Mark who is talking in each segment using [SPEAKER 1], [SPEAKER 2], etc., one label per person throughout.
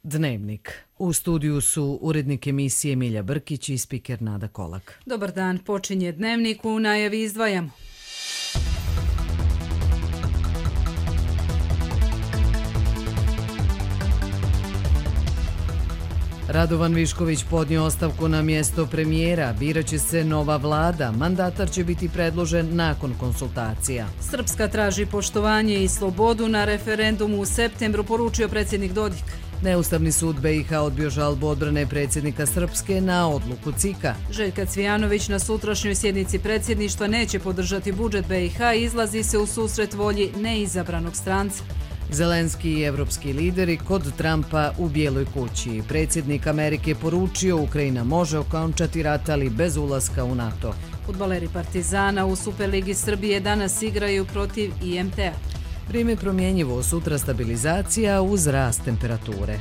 [SPEAKER 1] Dnevnik. U studiju su urednik emisije Milja Brkić i spiker Nada Kolak.
[SPEAKER 2] Dobar dan, počinje Dnevnik, u najavi izdvajamo.
[SPEAKER 1] Radovan Višković podnio ostavku na mjesto premijera, biraće se nova vlada, mandatar će biti predložen nakon konsultacija.
[SPEAKER 2] Srpska traži poštovanje i slobodu na referendumu u septembru, poručio predsjednik Dodik.
[SPEAKER 1] Neustavni sud BiH odbio žalbu odbrane predsjednika Srpske na odluku CIK-a.
[SPEAKER 2] Željka Cvijanović na sutrašnjoj sjednici predsjedništva neće podržati budžet BiH i izlazi se u susret volji neizabranog stranca.
[SPEAKER 1] Zelenski i evropski lideri kod Trumpa u Bijeloj kući. Predsjednik Amerike poručio Ukrajina može okončati rat, ali bez ulaska u NATO.
[SPEAKER 2] Fudbaleri Partizana u Superligi Srbije danas igraju protiv IMT-a.
[SPEAKER 1] Vrijeme promjenjivo, sutra stabilizacija uz rast temperature.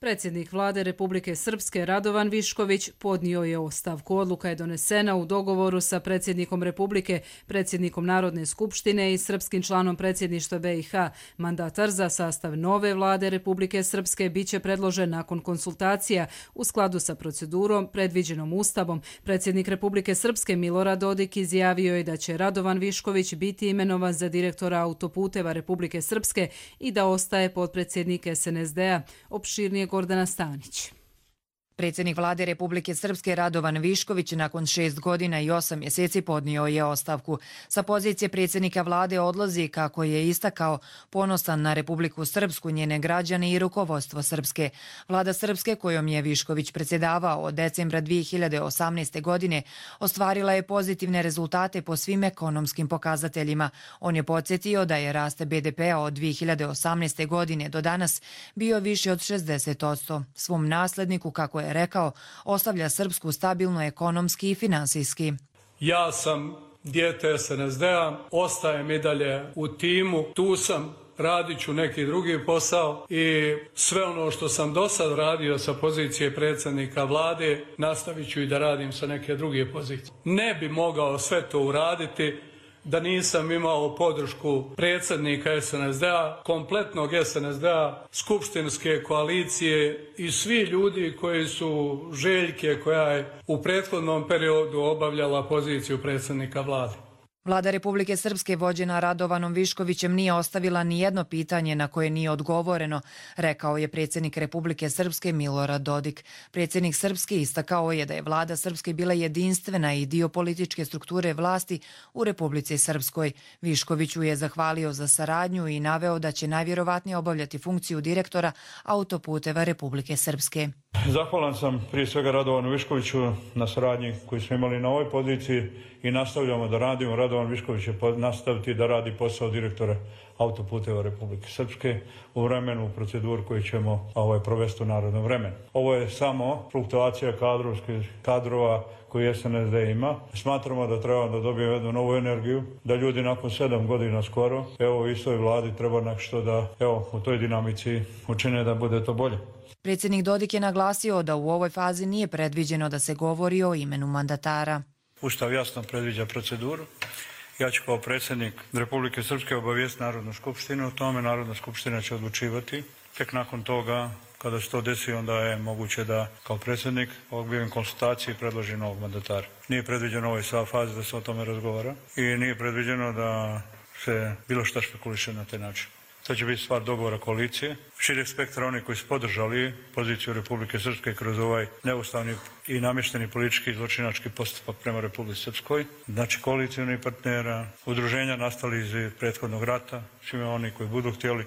[SPEAKER 2] Predsjednik vlade Republike Srpske Radovan Višković podnio je ostavku. Odluka je donesena u dogovoru sa predsjednikom Republike, predsjednikom Narodne skupštine i srpskim članom predsjedništva BiH. Mandatar za sastav nove vlade Republike Srpske biće predložen nakon konsultacija u skladu sa procedurom predviđenom Ustavom. Predsjednik Republike Srpske Milorad Dodik izjavio je da će Radovan Višković biti imenovan za direktora autoputeva Republike Srpske i da ostaje potpredsjednik SNSD-a. Opširnije Gordana Stanić.
[SPEAKER 3] Predsjednik vlade Republike Srpske Radovan Višković nakon 6 godina i 8 mjeseci podnio je ostavku. Sa pozicije predsjednika vlade odlazi, kako je istakao, ponosan na Republiku Srpsku, njene građane i rukovodstvo Srpske. Vlada Srpske, kojom je Višković predsjedavao od decembra 2018. godine, ostvarila je pozitivne rezultate po svim ekonomskim pokazateljima. On je podsjetio da je rast BDP-a od 2018. godine do danas bio više od 60%. Svom nasledniku, kako je rekao, ostavlja Srpsku stabilno ekonomski i finansijski.
[SPEAKER 4] Ja sam dijete SNSD-a, ostajem i dalje u timu, tu sam, radit ću neki drugi posao i sve ono što sam do sad radio sa pozicije predsjednika vlade, nastavit ću i da radim sa neke druge pozicije. Ne bi mogao sve to uraditi da nisam imao podršku predsjednika SNSD-a, kompletnog SNSD-a, skupštinske koalicije i svi ljudi koji su Željke, koja je u prethodnom periodu obavljala poziciju predsjednika vlade.
[SPEAKER 3] Vlada Republike Srpske vođena Radovanom Viškovićem nije ostavila ni jedno pitanje na koje nije odgovoreno, rekao je predsjednik Republike Srpske Milorad Dodik. Predsjednik Srpske istakao je da je vlada Srpske bila jedinstvena i dio političke strukture vlasti u Republici Srpskoj. Viškoviću je zahvalio za saradnju i naveo da će najvjerovatnije obavljati funkciju direktora autoputeva Republike Srpske.
[SPEAKER 5] Zahvalan sam prije svega Radovanu Viškoviću na saradnji koju smo imali na ovoj poziciji i nastavljamo da radimo. Radovan Višković će nastaviti da radi posao direktora autoputeva Republike Srpske u vremenu, u proceduru koju ćemo provesti u narodnom vremenu. Ovo je samo fluktuacija kadrova koju SNSD ima. Smatramo da treba da dobijemo jednu novu energiju, da ljudi nakon 7 godina skoro, u istoj vladi treba nešto da u toj dinamici učine da bude to bolje.
[SPEAKER 3] Predsjednik Dodik je naglasio da u ovoj fazi nije predviđeno da se govori o imenu mandatara.
[SPEAKER 5] Ustav jasno predviđa proceduru. Ja ću kao predsjednik Republike Srpske obavijestiti Narodnu skupštinu o tome. Narodna skupština će odlučivati. Tek nakon toga, kada se to desi, onda je moguće da kao predsjednik objavim konsultacije i predložim novog mandatara. Nije predviđeno u ovoj fazi da se o tome razgovara i nije predviđeno da se bilo šta špekuliše na taj način. To će biti stvar dogovora koalicije, šireg spektra onih koji su podržali poziciju Republike Srpske kroz ovaj neustavni i namješteni politički i zločinački postupak prema Republici Srpskoj. Znači koalicijnih partnera, udruženja nastali iz prethodnog rata, svima oni koji budu htjeli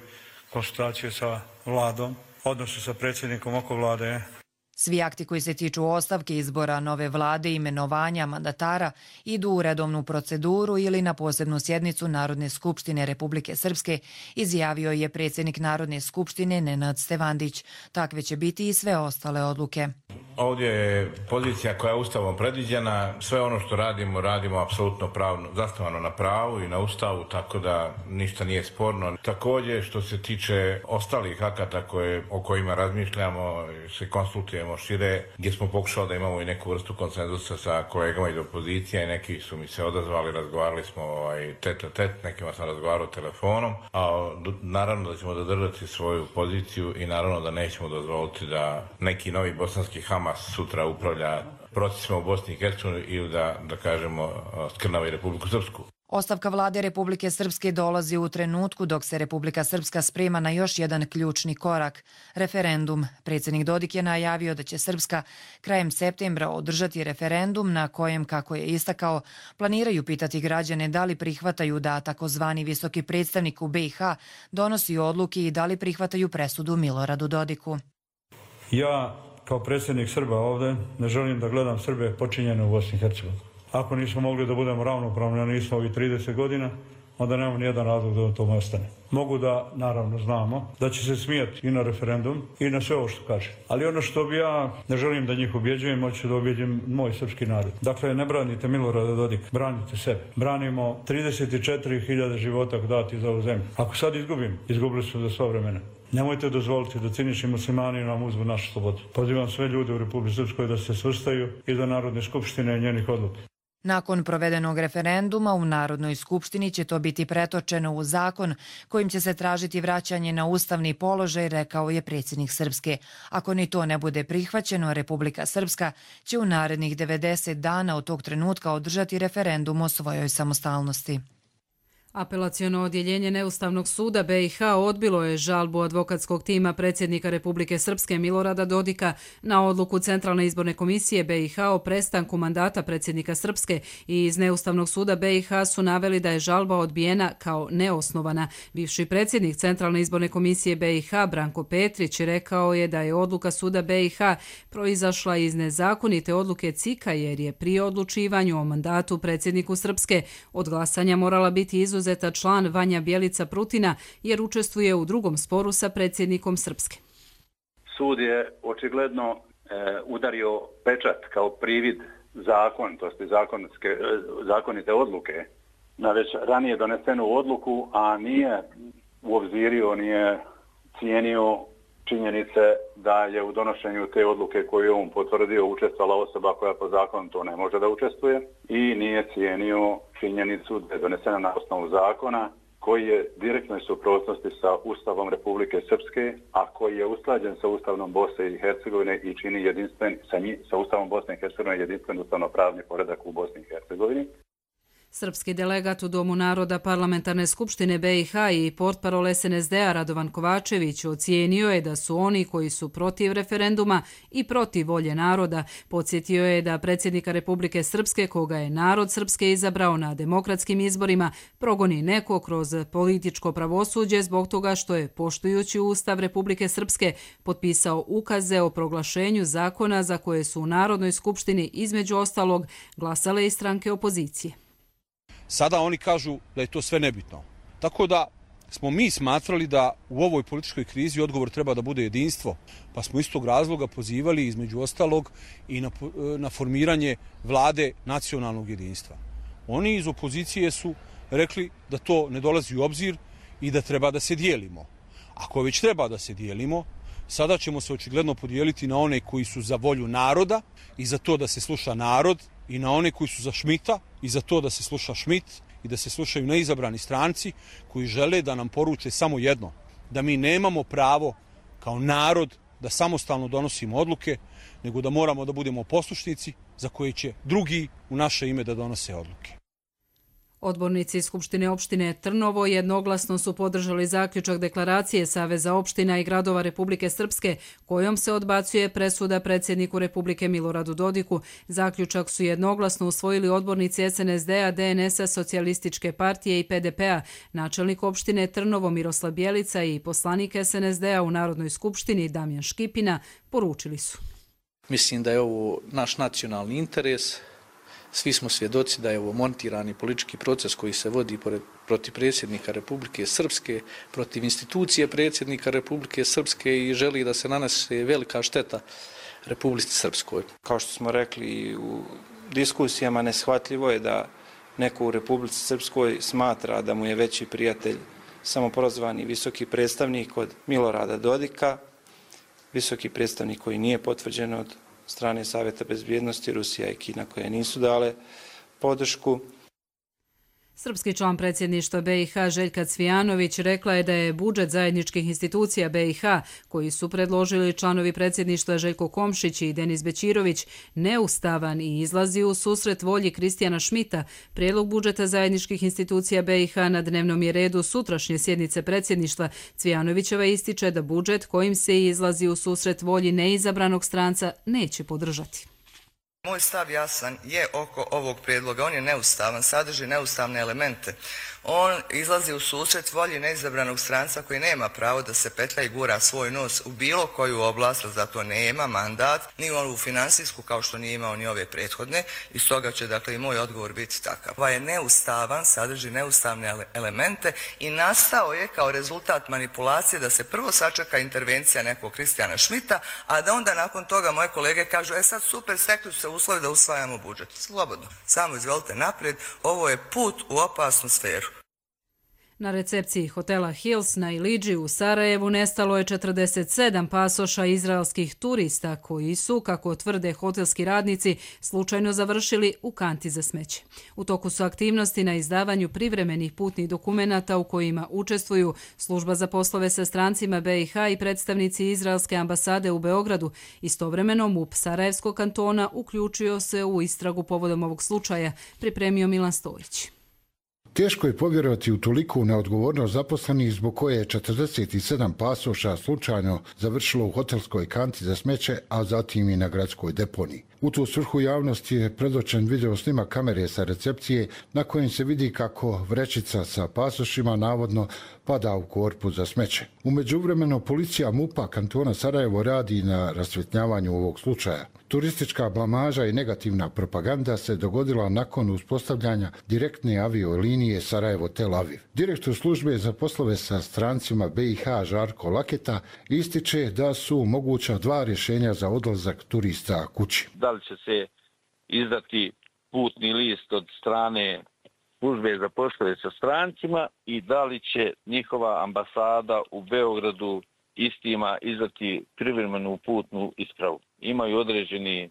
[SPEAKER 5] konsultacije sa vladom, odnosu sa predsjednikom oko vlade.
[SPEAKER 3] Svi akti koji se tiču ostavke, izbora nove vlade i imenovanja mandatara idu u redovnu proceduru ili na posebnu sjednicu Narodne skupštine Republike Srpske, izjavio je predsjednik Narodne skupštine Nenad Stevandić. Takve će biti i sve ostale odluke.
[SPEAKER 6] Ovdje je pozicija koja je Ustavom predviđena. Sve ono što radimo apsolutno pravno, zasnovano na pravu i na Ustavu, tako da ništa nije sporno. Također, što se tiče ostalih akata o kojima razmišljamo, se konsultujemo šire, gdje smo pokušali da imamo i neku vrstu konsenzusa sa kolegama iz opozicije i neki su mi se odazvali, razgovarali smo tet, nekima sam razgovarao telefonom, a naravno da ćemo zadržati svoju poziciju i naravno da nećemo dozvoliti da neki novi bosanski Hamas sutra upravlja procesima u Bosni i Hercegovini ili da kažemo skrnavi Republiku Srpsku.
[SPEAKER 3] Ostavka vlade Republike Srpske dolazi u trenutku dok se Republika Srpska sprema na još jedan ključni korak – referendum. Predsjednik Dodik je najavio da će Srpska krajem septembra održati referendum na kojem, kako je istakao, planiraju pitati građane da li prihvataju da takozvani visoki predstavnik u BiH donosi odluke i da li prihvataju presudu Miloradu Dodiku.
[SPEAKER 5] Ja kao predsjednik Srba ovdje ne želim da gledam Srbe počinjene u Bosni i Hercegovini. Ako nismo mogli da budemo ravnopravni, a nismo ovih 30 godina, onda nemamo nijedan razlog da to ostane. Mogu da, naravno, znamo da će se smijati i na referendum i na sve ovo što kaže. Ali ono što bi ja ne želim da njih ubjeđujem, hoću da ubjeđujem moj srpski narod. Dakle, ne branite Milorada Dodika, branite sebe. Branimo 34.000 života dati za ovu zemlju. Ako sad izgubili su za sva vremena. Nemojte dozvoliti da cinični muslimani nam uzmu našu slobodu. Pozivam sve ljude u Republici Srpskoj da se svrstaju iza Narodne skupštine i njenih odluka.
[SPEAKER 3] Nakon provedenog referenduma u Narodnoj skupštini će to biti pretočeno u zakon kojim će se tražiti vraćanje na ustavni položaj, rekao je predsjednik Srpske. Ako ni to ne bude prihvaćeno, Republika Srpska će u narednih 90 dana od tog trenutka održati referendum o svojoj samostalnosti.
[SPEAKER 2] Apelaciono odjeljenje Neustavnog suda BiH odbilo je žalbu advokatskog tima predsjednika Republike Srpske Milorada Dodika na odluku Centralne izborne komisije BiH o prestanku mandata predsjednika Srpske i iz Neustavnog suda BiH su naveli da je žalba odbijena kao neosnovana. Bivši predsjednik Centralne izborne komisije BiH Branko Petrić rekao je da je odluka suda BiH proizašla iz nezakonite odluke CIK-a jer je pri odlučivanju o mandatu predsjedniku Srpske od glasanja morala biti izuzeta član Vanja Bjelica Prutina jer učestvuje u drugom sporu sa predsjednikom Srpske.
[SPEAKER 7] Sud je očigledno udario pečat kao privid zakonitosti, zakonite odluke na već ranije donesenu odluku, a nije uobzirio, nije cijenio činjenice da je u donošenju te odluke koju je on potvrdio učestvala osoba koja po zakonu to ne može da učestvuje i nije cijenio činjenicu da je donesena na osnovu zakona koji je direktnoj suprotnosti sa Ustavom Republike Srpske, a koji je usklađen sa Ustavom Bosne i Hercegovine i čini jedinstven sa Ustavom Bosne i Hercegovine jedinstven ustavno-pravni poredak u Bosni i Hercegovini.
[SPEAKER 2] Srpski delegat u Domu naroda Parlamentarne skupštine BiH i portparol SNSD-a Radovan Kovačević ocijenio je da su oni koji su protiv referenduma i protiv volje naroda. Podsjetio je da predsjednika Republike Srpske, koga je narod Srpske izabrao na demokratskim izborima, progoni neko kroz političko pravosuđe zbog toga što je, poštujući Ustav Republike Srpske, potpisao ukaze o proglašenju zakona za koje su u Narodnoj skupštini između ostalog glasale i stranke opozicije.
[SPEAKER 8] Sada oni kažu da je to sve nebitno. Tako da smo mi smatrali da u ovoj političkoj krizi odgovor treba da bude jedinstvo, pa smo iz tog razloga pozivali između ostalog i na formiranje vlade nacionalnog jedinstva. Oni iz opozicije su rekli da to ne dolazi u obzir i da treba da se dijelimo. Ako već treba da se dijelimo, sada ćemo se očigledno podijeliti na one koji su za volju naroda i za to da se sluša narod, i na one koji su za Šmita i za to da se sluša Šmit i da se slušaju neizabrani stranci koji žele da nam poruče samo jedno, da mi nemamo pravo kao narod da samostalno donosimo odluke, nego da moramo da budemo poslušnici za koje će drugi u naše ime da donose odluke.
[SPEAKER 2] Odbornici Skupštine opštine Trnovo jednoglasno su podržali zaključak deklaracije Saveza opština i gradova Republike Srpske kojom se odbacuje presuda predsjedniku Republike Miloradu Dodiku. Zaključak su jednoglasno usvojili odbornici SNSD-a, DNS-a, Socijalističke partije i PDP-a, načelnik opštine Trnovo Miroslav Bjelica i poslanik SNSD-a u Narodnoj skupštini Damjan Škipina poručili su.
[SPEAKER 9] Mislim da je ovo naš nacionalni interes. Svi smo svjedoci da je ovo montirani politički proces koji se vodi protiv predsjednika Republike Srpske, protiv institucije predsjednika Republike Srpske i želi da se nanese velika šteta Republici Srpskoj.
[SPEAKER 10] Kao što smo rekli u diskusijama, neshvatljivo je da neko u Republici Srpskoj smatra da mu je veći prijatelj samoprozvani visoki predstavnik od Milorada Dodika, visoki predstavnik koji nije potvrđen od strane Savjeta bezbjednosti, Rusija i Kina koje nisu dale podršku.
[SPEAKER 2] Srpski član predsjedništva BiH Željka Cvijanović rekla je da je budžet zajedničkih institucija BiH, koji su predložili članovi predsjedništva Željko Komšić i Denis Bećirović, neustavan i izlazi u susret volji Kristijana Šmita. Prijedlog budžeta zajedničkih institucija BiH na dnevnom je redu sutrašnje sjednice predsjedništva. Cvijanovićeva ističe da budžet kojim se izlazi u susret volji neizabranog stranca neće podržati.
[SPEAKER 11] Moj stav jasan je oko ovog prijedloga. On je neustavan, sadrži neustavne elemente. On izlazi u susret volji neizabranog stranca koji nema pravo da se petlja i gura svoj nos u bilo koju oblast, zato nema mandat, ni ovu finansijsku kao što nije imao ni ove prethodne i stoga će dakle i moj odgovor biti takav. Ovaj je neustavan, sadrži neustavne elemente i nastao je kao rezultat manipulacije da se prvo sačeka intervencija nekog Kristijana Šmita, a da onda nakon toga moje kolege kažu sad super, stekli su se uslovi da usvajamo budžet. Slobodno, samo izvolite naprijed, ovo je put u opasnu sferu.
[SPEAKER 2] Na recepciji hotela Hills na Ilidži u Sarajevu nestalo je 47 pasoša izraelskih turista koji su, kako tvrde hotelski radnici, slučajno završili u kanti za smeće. U toku su aktivnosti na izdavanju privremenih putnih dokumenata u kojima učestvuju Služba za poslove sa strancima BiH i predstavnici Izraelske ambasade u Beogradu. Istovremeno MUP Sarajevskog kantona uključio se u istragu povodom ovog slučaja, pripremio Milan Storić.
[SPEAKER 12] Teško je povjerovati u toliku neodgovornost zaposlenih zbog koje je 47 pasoša slučajno završilo u hotelskoj kanti za smeće, a zatim i na gradskoj deponiji. U tu svrhu javnosti je predočen video snima kamere sa recepcije na kojem se vidi kako vrećica sa pasošima navodno pada u korpu za smeće. U međuvremenu policija MUP-a kantona Sarajevo radi na rasvjetljavanju ovog slučaja. Turistička blamaža i negativna propaganda se dogodila nakon uspostavljanja direktne aviolinije Sarajevo-Tel Aviv. Direktor službe za poslove sa strancima BiH Žarko Laketa ističe da su moguća dva rješenja za odlazak turista kući.
[SPEAKER 13] Da li će se izdati putni list od strane službe za poslove sa strancima i da li će njihova ambasada u Beogradu istima izdati privremenu putnu ispravu. Imaju određeni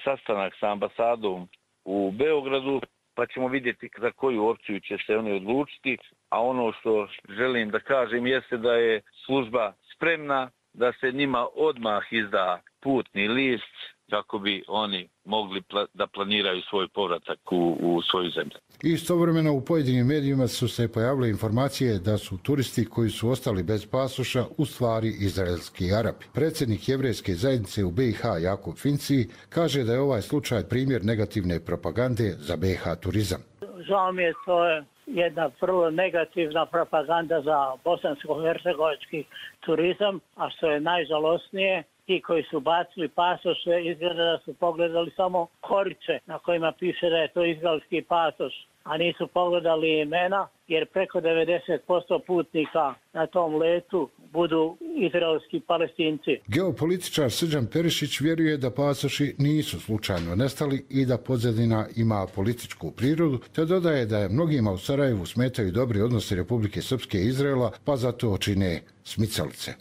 [SPEAKER 13] sastanak sa ambasadom u Beogradu, pa ćemo vidjeti za koju opciju će se oni odlučiti, a ono što želim da kažem jeste da je služba spremna da se njima odmah izda putni list kako bi oni mogli da planiraju svoj povratak u svoju zemlju.
[SPEAKER 12] Istovremeno u pojedinim medijima su se pojavile informacije da su turisti koji su ostali bez pasoša u stvari izraelski Arapi. Predsjednik jevrejske zajednice u BiH Jakub Finci kaže da je ovaj slučaj primjer negativne propagande za BiH turizam.
[SPEAKER 14] Žao mi je, to je jedna vrlo negativna propaganda za bosansko-hercegovački turizam, a što je najžalosnije, ti koji su bacili pasoše izgleda da su pogledali samo korice na kojima piše da je to izraelski pasoš, a nisu pogledali imena, jer preko 90% putnika na tom letu budu izraelski Palestinci.
[SPEAKER 12] Geopolitičar Srđan Perišić vjeruje da pasoši nisu slučajno nestali i da pozadina ima političku prirodu, te dodaje da je mnogima u Sarajevu smetaju dobri odnosi Republike Srpske i Izraela, pa zato čine smicalice.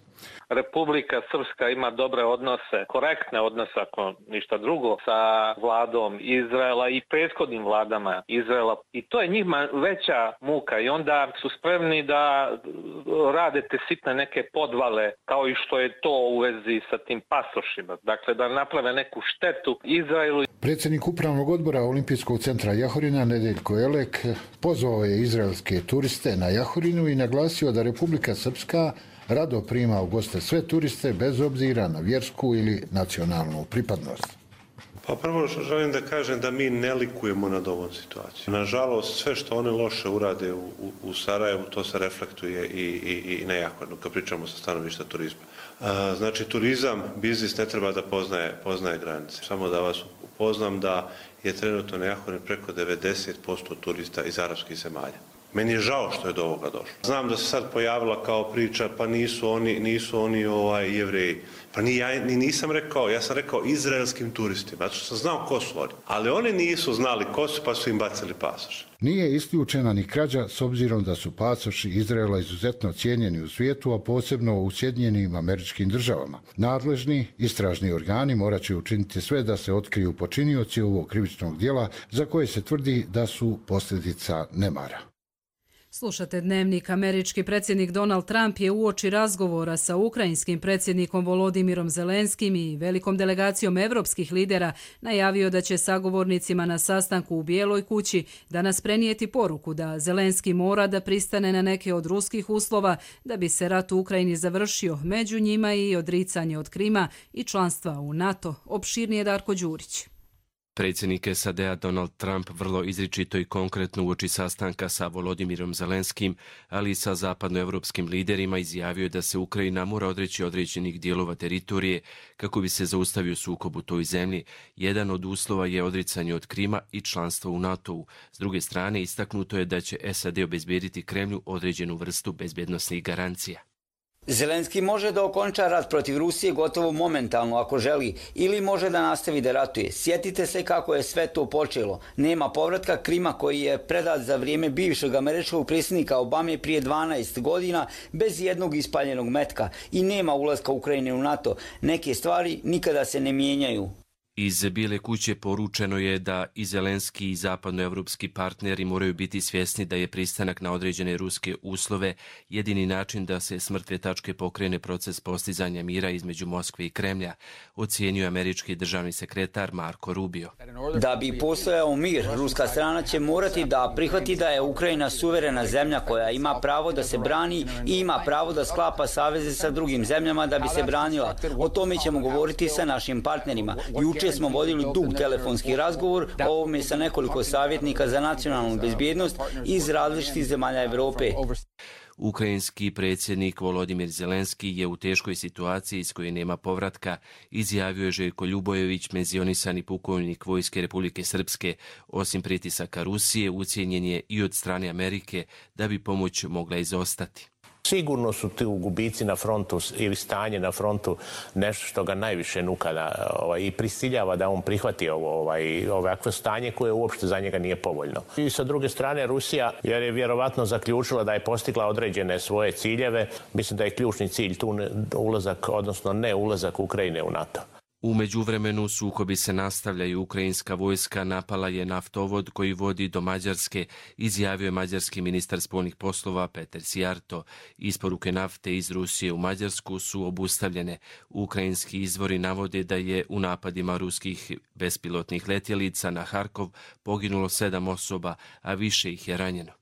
[SPEAKER 15] Republika Srpska ima dobre odnose, korektne odnose, ako ništa drugo, sa vladom Izraela i prethodnim vladama Izraela. I to je njima veća muka i onda su spremni da rade te sitne neke podvale, kao i što je to u vezi sa tim pasošima. Dakle, da naprave neku štetu Izraelu.
[SPEAKER 12] Predsjednik Upravnog odbora Olimpijskog centra Jahorina, Nedeljko Elek, pozvao je izraelske turiste na Jahorinu i naglasio da Republika Srpska rado prima u goste sve turiste bez obzira na vjersku ili nacionalnu pripadnost.
[SPEAKER 16] Pa prvo želim da kažem da mi ne likujemo nad ovom situacijom. Nažalost, sve što one loše urade u Sarajevu, to se reflektuje i na Jahorinu, kad pričamo sa stanovišta turizma. Znači, turizam, biznis ne treba da poznaje granice. Samo da vas upoznam da je trenutno na Jahorinu preko 90% turista iz arapskih zemalja. Meni je žao što je do ovoga došlo. Znam da se sad pojavila kao priča, pa nisu oni Jevreji. Pa nisam rekao, ja sam rekao izraelskim turistima, zato što sam znao ko su oni. Ali oni nisu znali ko su, pa su im bacili pasoše.
[SPEAKER 12] Nije isključena ni krađa s obzirom da su pasoši Izraela izuzetno cijenjeni u svijetu, a posebno u Sjedinjenim Američkim Državama. Nadležni istražni organi morat će učiniti sve da se otkriju počinioci ovog krivičnog djela za koje se tvrdi da su posljedica nemara.
[SPEAKER 2] Slušate Dnevnik. Američki predsjednik Donald Trump je uoči razgovora sa ukrajinskim predsjednikom Volodimirom Zelenskim i velikom delegacijom evropskih lidera najavio da će sagovornicima na sastanku u Bijeloj kući danas prenijeti poruku da Zelenski mora da pristane na neke od ruskih uslova da bi se rat u Ukrajini završio, među njima i odricanje od Krima i članstva u NATO. Opširnije Darko Đurić.
[SPEAKER 17] Predsjednik SAD-a Donald Trump vrlo izričito i konkretno uoči sastanka sa Volodimirom Zelenskim, ali i sa zapadnoevropskim liderima izjavio da se Ukrajina mora odreći određenih dijelova teritorije kako bi se zaustavio sukob u toj zemlji. Jedan od uslova je odricanje od Krima i članstvo u NATO-u. S druge strane, istaknuto je da će SAD obezbediti Kremlju određenu vrstu bezbjednosnih garancija.
[SPEAKER 18] Zelenski može da okonča rat protiv Rusije gotovo momentalno ako želi ili može da nastavi da ratuje. Sjetite se kako je sve to počelo. Nema povratka Krima koji je predat za vrijeme bivšeg američkog predsjednika Obame prije 12 godina bez jednog ispaljenog metka i nema ulaska Ukrajine u NATO. Neke stvari nikada se ne mijenjaju.
[SPEAKER 17] Iz Bijele kuće poručeno je da i Zelenski i zapadnoevropski partneri moraju biti svjesni da je pristanak na određene ruske uslove jedini način da se s mrtve tačke pokrene proces postizanja mira između Moskve i Kremlja, ocijenio američki državni sekretar Marco Rubio.
[SPEAKER 18] Da bi postojao mir, ruska strana će morati da prihvati da je Ukrajina suverena zemlja koja ima pravo da se brani i ima pravo da sklapa saveze sa drugim zemljama da bi se branila. O tome ćemo govoriti sa našim partnerima. Juče smo vodili dug telefonski razgovor o ovome sa nekoliko savjetnika za nacionalnu bezbjednost iz različitih zemalja Evrope.
[SPEAKER 17] Ukrajinski predsjednik Volodimir Zelenski je u teškoj situaciji iz koje nema povratka, izjavio je Željko Ljubojević, penzionisani pukovnik Vojske Republike Srpske. Osim pritisaka Rusije, ucijenjen je i od strane Amerike da bi pomoć mogla izostati.
[SPEAKER 19] Sigurno su ti gubici na frontu ili stanje na frontu nešto što ga najviše nuka i prisiljava da on prihvati ovakvo stanje koje uopšte za njega nije povoljno. I sa druge strane Rusija, jer je vjerovatno zaključila da je postigla određene svoje ciljeve, mislim da je ključni cilj tu ulazak, odnosno ne ulazak Ukrajine u NATO.
[SPEAKER 17] U međuvremenu sukobi se nastavljaju. Ukrajinska vojska napala je naftovod koji vodi do Mađarske, izjavio je mađarski ministar spoljnih poslova Peter Sijarto. Isporuke nafte iz Rusije u Mađarsku su obustavljene. Ukrajinski izvori navode da je u napadima ruskih bespilotnih letjelica na Harkov poginulo 7 osoba, a više ih je ranjeno.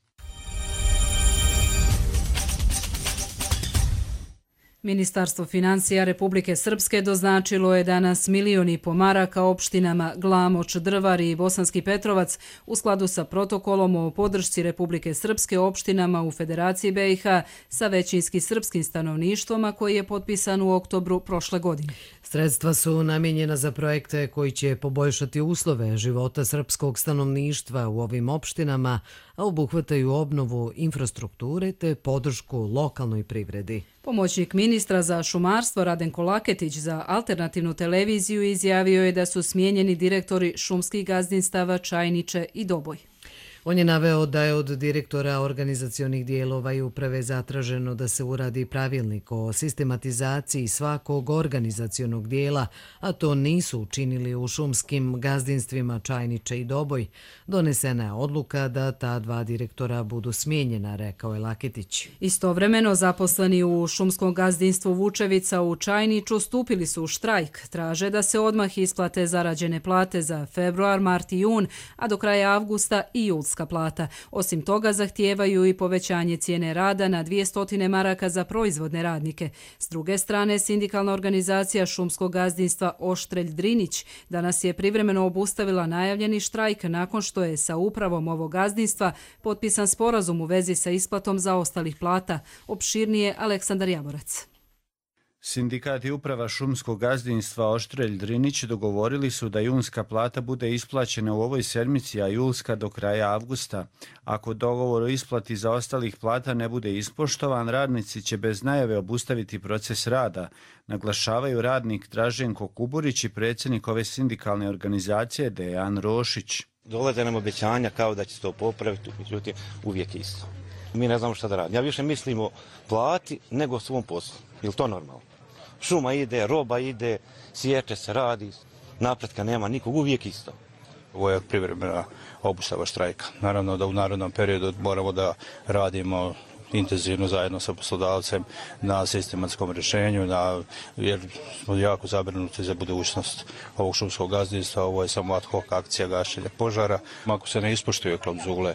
[SPEAKER 2] Ministarstvo financija Republike Srpske doznačilo je danas 1,5 miliona maraka opštinama Glamoč, Drvar i Bosanski Petrovac u skladu sa protokolom o podršci Republike Srpske opštinama u Federaciji BiH sa većinski srpskim stanovništvom, a koji je potpisan u oktobru prošle godine.
[SPEAKER 1] Sredstva su namijenjena za projekte koji će poboljšati uslove života srpskog stanovništva u ovim opštinama, a obuhvataju obnovu infrastrukture te podršku lokalnoj privredi.
[SPEAKER 2] Pomoćnik ministra za šumarstvo Radenko Laketić za alternativnu televiziju izjavio je da su smijenjeni direktori šumskih gazdinstava Čajniče i Doboj.
[SPEAKER 1] On je naveo da je od direktora organizacionih dijelova i uprave zatraženo da se uradi pravilnik o sistematizaciji svakog organizacionog dijela, a to nisu učinili u šumskim gazdinstvima Čajniče i Doboj. Donesena je odluka da ta 2 direktora budu smijenjena, rekao je Laketić.
[SPEAKER 2] Istovremeno zaposleni u šumskom gazdinstvu Vučevica u Čajniču stupili su u štrajk. Traže da se odmah isplate zarađene plate za februar, mart i jun, a do kraja avgusta i julska plata. Osim toga zahtijevaju i povećanje cijene rada na 200 maraka za proizvodne radnike. S druge strane, sindikalna organizacija šumskog gazdinstva Oštrelj Drinić danas je privremeno obustavila najavljeni štrajk nakon što je sa upravom ovog gazdinstva potpisan sporazum u vezi sa isplatom zaostalih plata. Opširnije Aleksandar Jaborac.
[SPEAKER 20] Sindikat i uprava šumskog gazdinstva Oštrelj Drinić dogovorili su da junska plata bude isplaćena u ovoj sedmici, a julska do kraja avgusta. Ako dogovor o isplati zaostalih plata ne bude ispoštovan, radnici će bez najave obustaviti proces rada, naglašavaju radnik Draženko Kuburić i predsjednik ove sindikalne organizacije Dejan Rošić.
[SPEAKER 21] Dolaze nam obećanja kao da će se to popraviti, međutim uvijek isto. Mi ne znamo šta da radimo. Ja više mislim o plati nego o svom poslu. Je li to normalno? Šuma ide, roba ide, sječe se, radi, napretka nema nikog, uvijek isto.
[SPEAKER 22] Ovo je privremena obustava štrajka. Naravno da u narednom periodu moramo da radimo intenzivno zajedno sa poslodavcem na sistematskom rješenju, jer smo jako zabrinuti za budućnost ovog šumskog gazdinstva. Ovo je samo ad hoc akcija gašenja požara. Ako se ne ispoštuju klauzule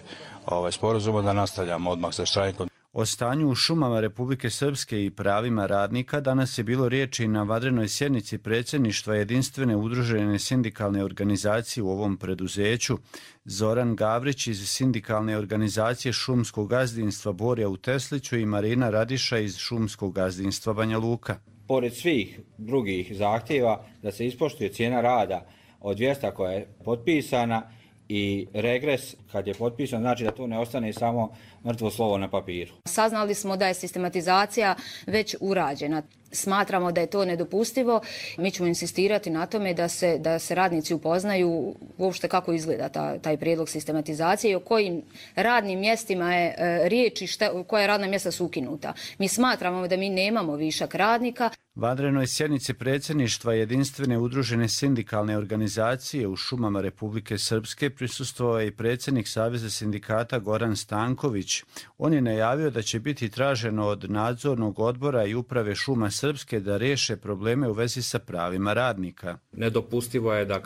[SPEAKER 22] sporazuma, da nastavljamo odmah sa štrajkom.
[SPEAKER 20] O stanju u šumama Republike Srpske i pravima radnika danas je bilo riječi na vanrednoj sjednici predsjedništva jedinstvene udružene sindikalne organizacije u ovom preduzeću. Zoran Gavrić iz sindikalne organizacije šumskog gazdinstva Borja u Tesliću i Marina Radiša iz šumskog gazdinstva Banja Luka.
[SPEAKER 23] Pored svih drugih zahtjeva da se ispoštuje cijena rada od 200 koja je potpisana i regres kad je potpisan, znači da to ne ostane samo mrtvo slovo na papiru.
[SPEAKER 24] Saznali smo da je sistematizacija već urađena. Smatramo da je to nedopustivo. Mi ćemo insistirati na tome da se radnici upoznaju uopšte kako izgleda taj prijedlog sistematizacije i o kojim radnim mjestima je riječ i koja radna mjesta su ukinuta. Mi smatramo da mi nemamo višak radnika.
[SPEAKER 20] Vanrednoj sjednici predsjedništva jedinstvene udružene sindikalne organizacije u šumama Republike Srpske prisustvovao je i predsjednik Saveza sindikata Goran Stanković. On je najavio da će biti traženo od nadzornog odbora i uprave šuma Srpske da riješe probleme u vezi sa pravima radnika.
[SPEAKER 25] Nedopustivo je da,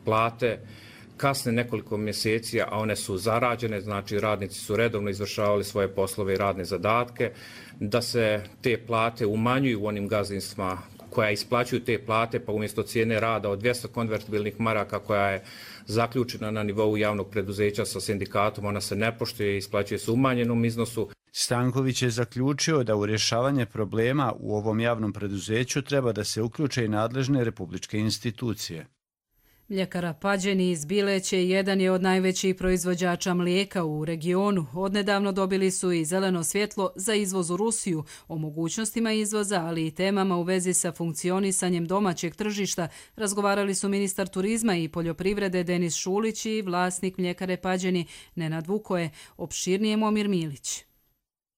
[SPEAKER 25] plate kasne nekoliko mjeseci, a one su zarađene, znači radnici su redovno izvršavali svoje poslove i radne zadatke, da se te plate umanjuju u onim gazdinstvima koja isplaćuju te plate, pa umjesto cijene rada od 200 konvertibilnih maraka koja je zaključena na nivou javnog preduzeća sa sindikatom, ona se ne poštuje i isplaćuje se u umanjenom iznosu.
[SPEAKER 20] Stanković je zaključio da u rješavanje problema u ovom javnom preduzeću treba da se uključe i nadležne republičke institucije.
[SPEAKER 2] Mljekara Pađeni iz Bileće jedan je od najvećih proizvođača mlijeka u regionu. Odnedavno dobili su i zeleno svjetlo za izvoz u Rusiju. O mogućnostima izvoza, ali i temama u vezi sa funkcionisanjem domaćeg tržišta razgovarali su ministar turizma i poljoprivrede Denis Šulić i vlasnik mljekare Pađeni Nenad Vukoje. Opširnije Momir Milić.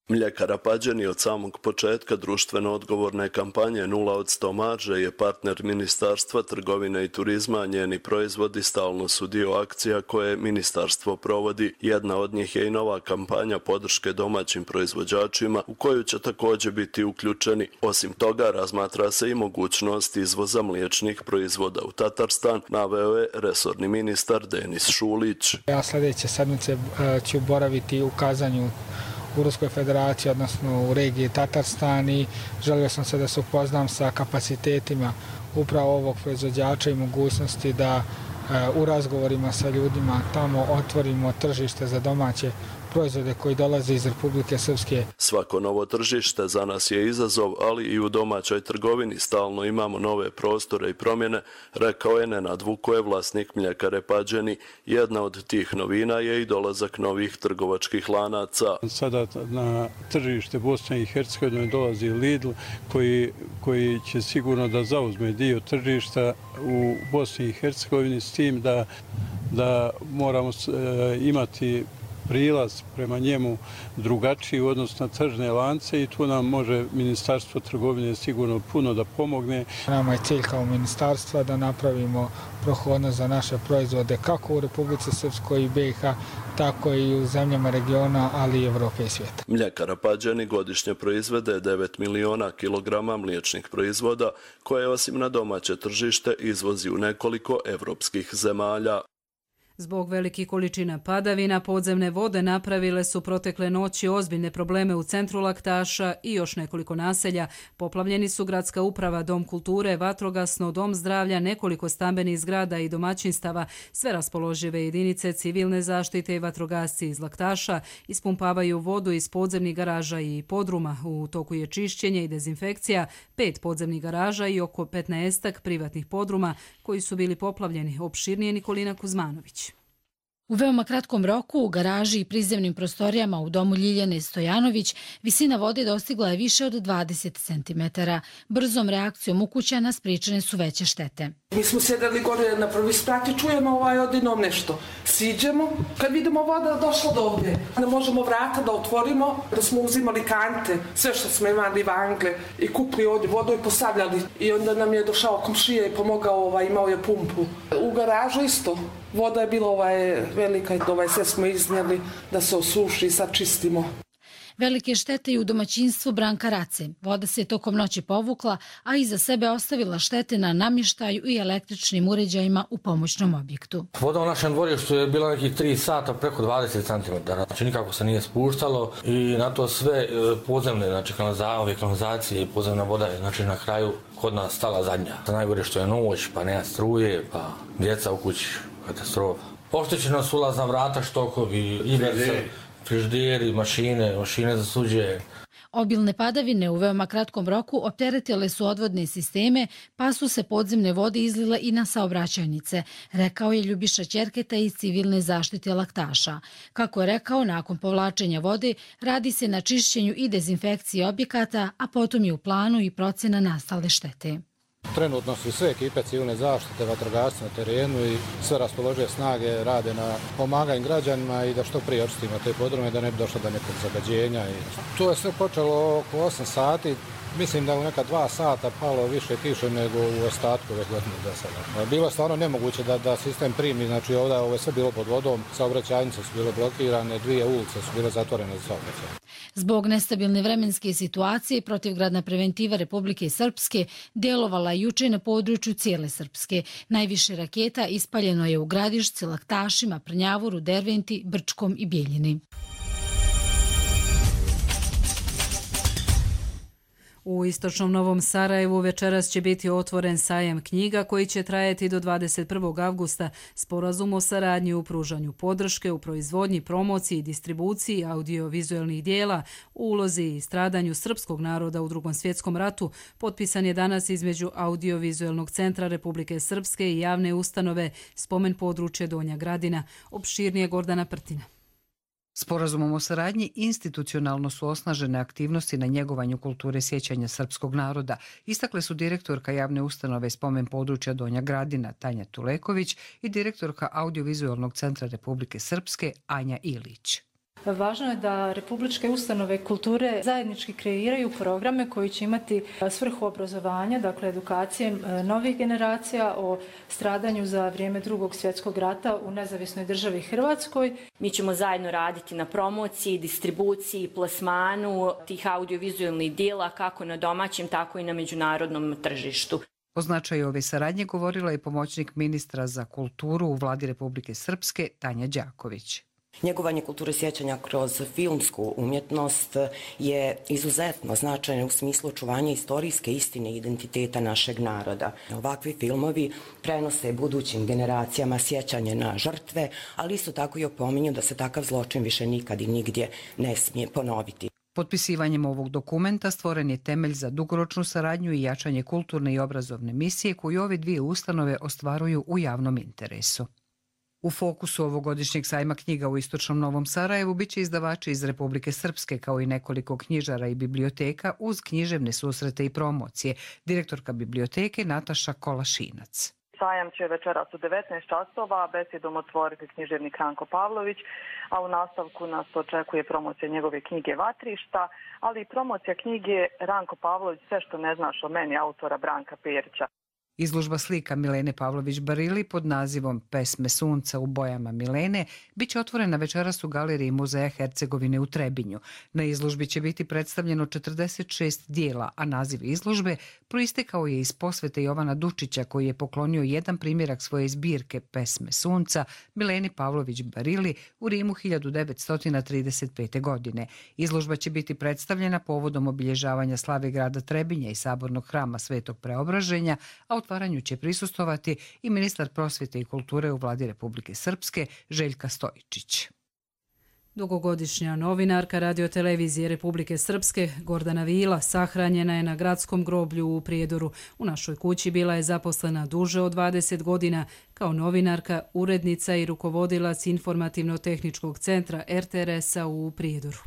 [SPEAKER 26] Mljekara Pađeni od samog početka društveno odgovorne kampanje 0 od 100 marže je partner Ministarstva trgovine i turizma, a njeni proizvodi stalno su dio akcija koje ministarstvo provodi. Jedna od njih je i nova kampanja podrške domaćim proizvođačima u koju će također biti uključeni. Osim toga, razmatra se i mogućnost izvoza mliječnih proizvoda u Tatarstan, naveo je resorni ministar Denis Šulić.
[SPEAKER 27] Ja sljedeće sedmice ću boraviti u Kazanju u Ruskoj federaciji, odnosno u regiji Tatarstan, i želio sam se da se upoznam sa kapacitetima upravo ovog proizvođača i mogućnosti da u razgovorima sa ljudima tamo otvorimo tržište za domaće proizvode koji dolaze iz Republike Srpske.
[SPEAKER 26] Svako novo tržište za nas je izazov, ali i u domaćoj trgovini stalno imamo nove prostore i promjene, rekao je Nenad Vukoje, vlasnik mljekare Pađeni. Jedna od tih novina je i dolazak novih trgovačkih lanaca.
[SPEAKER 5] Sada na tržište Bosne i Hercegovine dolazi Lidl koji će sigurno da zauzme dio tržišta u Bosni i Hercegovini, s tim da moramo imati prilaz prema njemu drugačiji u odnosu na tržne lance i tu nam može Ministarstvo trgovine sigurno puno da pomogne.
[SPEAKER 27] Nama je cilj kao ministarstva da napravimo prohodnost za naše proizvode kako u Republici Srpskoj i BiH, tako i u zemljama regiona, ali i Evrope i svijeta.
[SPEAKER 26] Mljekara Pađeni godišnje proizvede 9 miliona kilograma mliječnih proizvoda koje osim na domaće tržište izvozi u nekoliko evropskih zemalja.
[SPEAKER 2] Zbog velikih količina padavina, podzemne vode napravile su protekle noći ozbiljne probleme u centru Laktaša i još nekoliko naselja. Poplavljeni su gradska uprava, dom kulture, vatrogasno, dom zdravlja, nekoliko stambenih zgrada i domaćinstava. Sve raspoložive jedinice civilne zaštite i vatrogasci iz Laktaša ispumpavaju vodu iz podzemnih garaža i podruma. U toku je čišćenje i dezinfekcija 5 podzemnih garaža i oko 15 privatnih podruma koji su bili poplavljeni. Opširnije Nikolina Kuzmanović.
[SPEAKER 3] U veoma kratkom roku u garaži i prizemnim prostorijama u domu Ljiljane Stojanović visina vode dostigla je više od 20 cm. Brzom reakcijom ukućana spriječene su veće štete.
[SPEAKER 4] Mi smo sjedali gore na prvi sprat i čujemo odinom nešto. Siđemo, kad vidimo voda došla do ovdje. Ne možemo vrata da otvorimo, da smo uzimali kante, sve što smo imali vangle i kupili ovdje vodu i postavljali. I onda nam je došao komšija i pomogao, imao je pumpu. U garažu isto. Voda je bila velika i sve smo iznijeli da se osuši i sad čistimo.
[SPEAKER 3] Velike štete i u domaćinstvu Branka Race. Voda se tokom noći povukla, a iza sebe ostavila štete na namještaju i električnim uređajima u pomoćnom objektu.
[SPEAKER 6] Voda u našem dvorištu je bila nekih 3 sata preko 20 cm. Znači nikako se nije spuštalo i na to sve podzemne, znači kanalizacije i podzemna voda je na kraju kod nas stala zadnja. Najgore što je noć, pa nema struje, pa djeca u kući, katastrofa. Oštećena su ulazna vrata, štokovi, iverce, frižideri, mašine za suđe.
[SPEAKER 3] Obilne padavine u veoma kratkom roku opteretile su odvodne sisteme, pa su se podzemne vode izlile i na saobraćajnice, rekao je Ljubiša Ćerketa iz civilne zaštite Laktaša. Kako je rekao, nakon povlačenja vode radi se na čišćenju i dezinfekciji objekata, a potom je u planu i procjena nastale štete.
[SPEAKER 7] Trenutno su sve ekipe civilne zaštite, vatrogasci na terenu i sve raspoložive snage rade na pomaganju građanima i da što prije očistimo te podrume, da ne bi došlo do nekog zagađenja. To je sve počelo oko 8 sati. Mislim da u neka 2 sata palo više kiše nego u ostatku ove godine do sada. Bilo je stvarno nemoguće da sistem primi, znači ovdje ovo je sve bilo pod vodom, saobraćajnice su bile blokirane, 2 ulice su bile zatvorene za saobraćaj.
[SPEAKER 3] Zbog nestabilne vremenske situacije, protivgradna preventiva Republike Srpske djelovala je juče na području cijele Srpske. Najviše raketa ispaljeno je u Gradišci, Laktašima, Prnjavoru, Derventi, Brčkom i Bijeljini.
[SPEAKER 2] U istočnom Novom Sarajevu večeras će biti otvoren sajam knjiga koji će trajati do 21. avgusta. Sporazum o saradnji u pružanju podrške, u proizvodnji, promociji i distribuciji audiovizualnih dijela, u ulozi i stradanju srpskog naroda u Drugom svjetskom ratu potpisan je danas između Audiovizualnog centra Republike Srpske i javne ustanove Spomen područje Donja Gradina. Opširnije Gordana Prtina.
[SPEAKER 8] Sporazumom o saradnji institucionalno su osnažene aktivnosti na njegovanju kulture sjećanja srpskog naroda, istakle su direktorka javne ustanove Spomen područja Donja Gradina Tanja Tuleković i direktorka Audiovizualnog centra Republike Srpske Anja Ilić.
[SPEAKER 9] Važno je da republičke ustanove kulture zajednički kreiraju programe koji će imati svrhu obrazovanja, dakle edukacije novih generacija o stradanju za vrijeme Drugog svjetskog rata u nezavisnoj državi Hrvatskoj.
[SPEAKER 10] Mi ćemo zajedno raditi na promociji, distribuciji, plasmanu tih audiovizualnih dijela kako na domaćem, tako i na međunarodnom tržištu.
[SPEAKER 8] O značaju ove saradnje govorila je pomoćnik ministra za kulturu u vladi Republike Srpske Tanja Đaković.
[SPEAKER 28] Njegovanje kulture sjećanja kroz filmsku umjetnost je izuzetno značajno u smislu očuvanja istorijske istine i identiteta našeg naroda. Ovakvi filmovi prenose budućim generacijama sjećanje na žrtve, ali isto tako i opominju da se takav zločin više nikad i nigdje ne smije ponoviti.
[SPEAKER 8] Potpisivanjem ovog dokumenta stvoren je temelj za dugoročnu saradnju i jačanje kulturne i obrazovne misije koju ove dvije ustanove ostvaruju u javnom interesu. U fokusu ovogodišnjeg sajma knjiga u istočnom Novom Sarajevu biće izdavači iz Republike Srpske kao i nekoliko knjižara i biblioteka uz književne susrete i promocije. Direktorka biblioteke Nataša Kolašinac.
[SPEAKER 29] Sajam će večeras u 19 časova besedom otvoriti književnik Ranko Pavlović, a u nastavku nas očekuje promocija njegove knjige Vatrišta, ali i promocija knjige Ranko Pavlović Sve što ne znaš o meni, autora Branka Perića.
[SPEAKER 8] Izložba slika Milene Pavlović-Barili pod nazivom Pesme sunca u bojama Milene bit će otvorena večeras u galeriji Muzeja Hercegovine u Trebinju. Na izložbi će biti predstavljeno 46 dijela, a naziv izložbe proistekao je iz posvete Jovana Dučića, koji je poklonio jedan primjerak svoje zbirke Pesme sunca Mileni Pavlović-Barili u Rimu 1935. godine. Izložba će biti predstavljena povodom obilježavanja slave grada Trebinja i sabornog hrama Svetog Preobraženja, a otvaranju će prisustovati i ministar prosvjete i kulture u vladi Republike Srpske Željka Stojičić.
[SPEAKER 2] Dugogodišnja novinarka radiotelevizije Republike Srpske Gordana Vila sahranjena je na gradskom groblju u Prijedoru. U našoj kući bila je zaposlena duže od 20 godina kao novinarka, urednica i rukovodilac informativno-tehničkog centra RTRS-a u Prijedoru.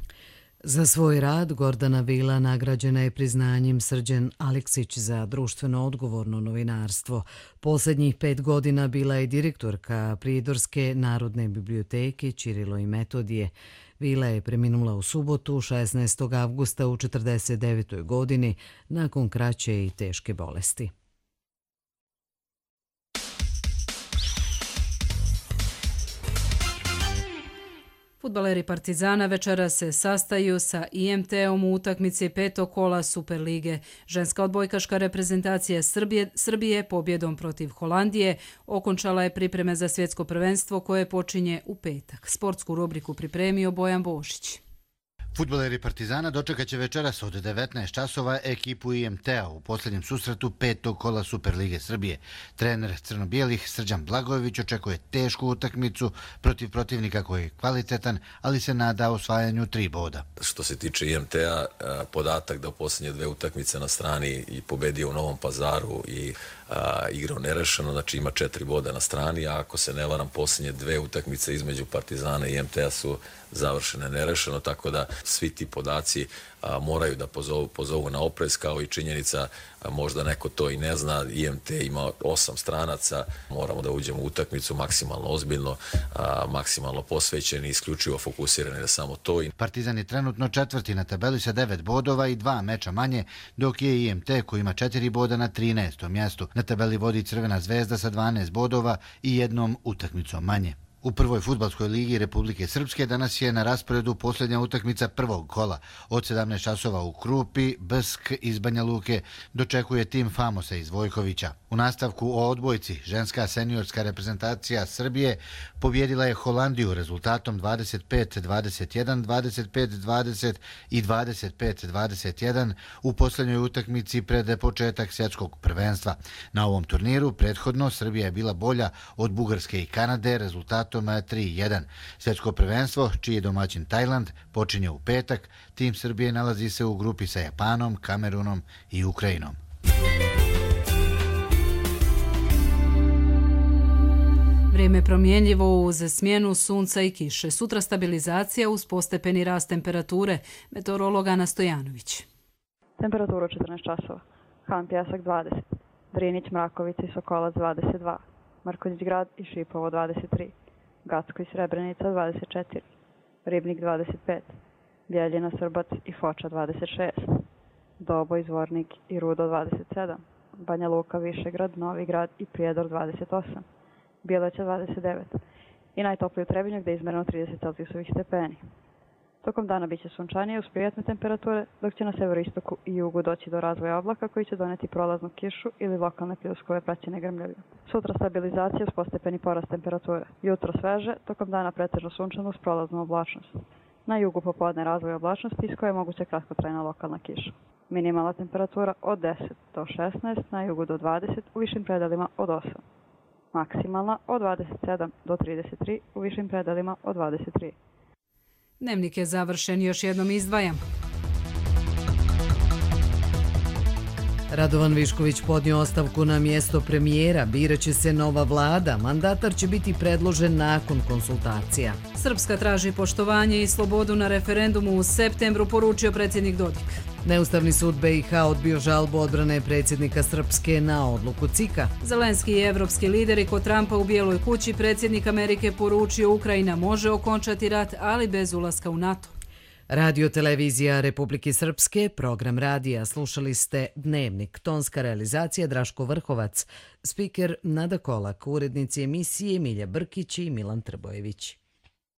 [SPEAKER 1] Za svoj rad Gordana Vila nagrađena je priznanjem Srđan Aleksić za društveno odgovorno novinarstvo. Posljednjih 5 godina bila je direktorka Prijedorske narodne biblioteke Ćirilo i Metodije. Vila je preminula u subotu 16. avgusta u 49. godini nakon kraće i teške bolesti.
[SPEAKER 2] Fudbaleri Partizana večera se sastaju sa IMT-om u utakmici 5. kola Superlige. Ženska odbojkaška reprezentacija Srbije pobjedom protiv Holandije okončala je pripreme za svjetsko prvenstvo koje počinje u petak. Sportsku rubriku pripremio Bojan Bošić.
[SPEAKER 11] Fudbaleri Partizana dočekat će večeras od 19 časova ekipu IMT-a u posljednjem susretu 5. kola Superlige Srbije. Trener crno-bijelih Srđan Blagojević očekuje tešku utakmicu protiv protivnika koji je kvalitetan, ali se nada osvajanju 3 boda.
[SPEAKER 12] Što se tiče IMT-a, podatak da u posljednje 2 utakmice na strani i pobedio u Novom Pazaru i igrao nerešeno, znači ima 4 boda na strani, a ako se ne varam, posljednje 2 utakmice između Partizana i IMT-a su završene nerešeno, tako da svi ti podaci moraju da pozovu na oprez, kao i činjenica, možda neko to i ne zna, IMT ima 8 stranaca, moramo da uđemo u utakmicu maksimalno ozbiljno, maksimalno posvećeni, isključivo fokusirani na samo to.
[SPEAKER 11] Partizan je trenutno 4. na tabeli sa 9 bodova i 2 meča manje, dok je IMT koji ima 4 boda na 13. mjestu. Na tabeli vodi Crvena zvezda sa 12 bodova i 1 utakmicom manje. U prvoj fudbalskoj ligi Republike Srpske danas je na rasporedu posljednja utakmica prvog kola. Od 17 časova u Krupi, Bsk iz Banja Luke dočekuje tim Famosa iz Vojkovića. U nastavku o odbojci, ženska seniorska reprezentacija Srbije pobjedila je Holandiju rezultatom 25-21, 25-20 i 25-21 u posljednjoj utakmici pred početak svjetskog prvenstva. Na ovom turniru prethodno Srbija je bila bolja od Bugarske i Kanade rezultatom 3-1. Svjetsko prvenstvo, čiji je domaćin Tajland, počinje u petak. Tim Srbije nalazi se u grupi sa Japanom, Kamerunom i Ukrajinom.
[SPEAKER 2] Vrijeme promjenljivo uz smjenu sunca i kiše. Sutra stabilizacija uz postepeni rast temperature. Meteorolog Ana Stojanović.
[SPEAKER 13] Temperatura 14 časova. Han Pjesak 20. Drinić, Mrakovica i Sokolac 22. Marković grad i Šipovo 23. Gacko i Srebrenica 24. Ribnik 25. Bjeljina, Srbac i Foča 26. Doboj, Zvornik i Rudo 27. Banja Luka, Višegrad, Novi Grad i Prijedor 28. Bjeleća 29. I najtopliji u Trebinju gdje je izmereno 30 Celzijusovih stepeni. Tokom dana biće sunčanije uz prijatne temperature, dok će na severoistoku i jugu doći do razvoja oblaka koji će doneti prolaznu kišu ili lokalne pljuskove praćene grmljavima. Sutra stabilizacija uz postepeni porast temperature. Jutro sveže, tokom dana pretežno sunčano uz prolaznu oblačnost. Na jugu popodne razvoj oblačnosti iz koje je moguća kratkotrajna lokalna kiša. Minimalna temperatura od 10 do 16, na jugu do 20, u višim predelima od 8. Maksimalna od 27 do 33, u višim predelima od 23.
[SPEAKER 2] Dnevnik je završen, još jednom izdvajam.
[SPEAKER 1] Radovan Višković podnio ostavku na mjesto premijera, biraće se nova vlada, mandatar će biti predložen nakon konsultacija.
[SPEAKER 2] Srpska traži poštovanje i slobodu na referendumu u septembru, poručio predsjednik Dodik.
[SPEAKER 1] Neustavni sud BiH odbio žalbu odbrane predsjednika Srpske na odluku CIK-a.
[SPEAKER 2] Zelenski i evropski lideri kod Trumpa u Bijeloj kući, predsjednik Amerike poručio Ukrajina može okončati rat, ali bez ulaska u NATO.
[SPEAKER 1] Radio televizija Republike Srpske, program radija, slušali ste Dnevnik, tonska realizacija Draško Vrhovac, spiker Nada Kolak, urednici emisije Milja Brkić i Milan Trbojević.